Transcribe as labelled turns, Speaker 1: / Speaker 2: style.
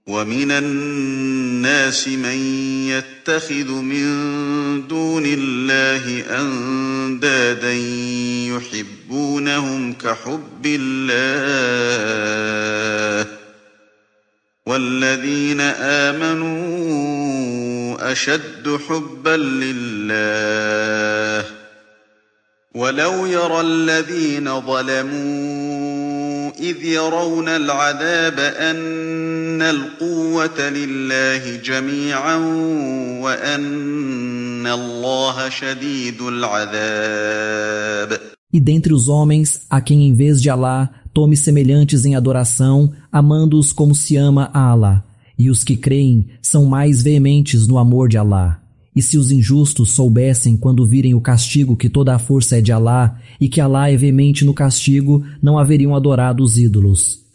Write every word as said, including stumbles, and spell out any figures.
Speaker 1: ومن الناس من يتخذ من دون الله أندادا يحبونهم كحب الله والذين آمنوا أشد حبا لله ولو يرى الذين ظلموا إذ يرون العذاب أن القوة لله جميعا وأن الله شديد العذاب.
Speaker 2: E dentre os homens, a quem em vez de Alá tome semelhantes em adoração, amando-os como se ama a Alá. E os que creem são mais veementes no amor de Alá. E se os injustos soubessem quando virem o castigo que toda a força é de Alá, e que Alá é veemente no castigo, não haveriam adorado os ídolos.